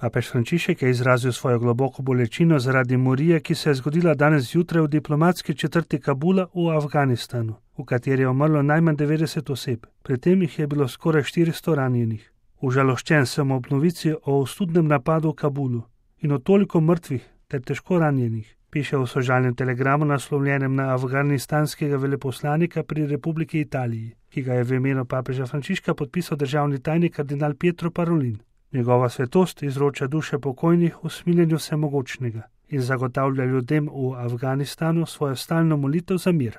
Papež Frančišek je izrazil svojo globoko bolečino zaradi morije, ki se je zgodila danes zjutraj v diplomatski četrti Kabula v Afganistanu, v kateri je umrlo najmanj 90 oseb, pri tem jih je bilo skoraj 400 ranjenih. Užaloščen sem ob novici o ostudnem napadu v Kabulu in o toliko mrtvih ter težko ranjenih, piše v sožalnem telegramu naslovljenem na afganistanskega veleposlanika pri Republiki Italiji, ki ga je v imenu papeža Frančiška podpisal državni tajnik kardinal Pietro Parolin. Njegova svetost izroča duše pokojnih v smiljenju vsemogočnega in zagotavlja ljudem v Afganistanu svojo stalno molitev za mir.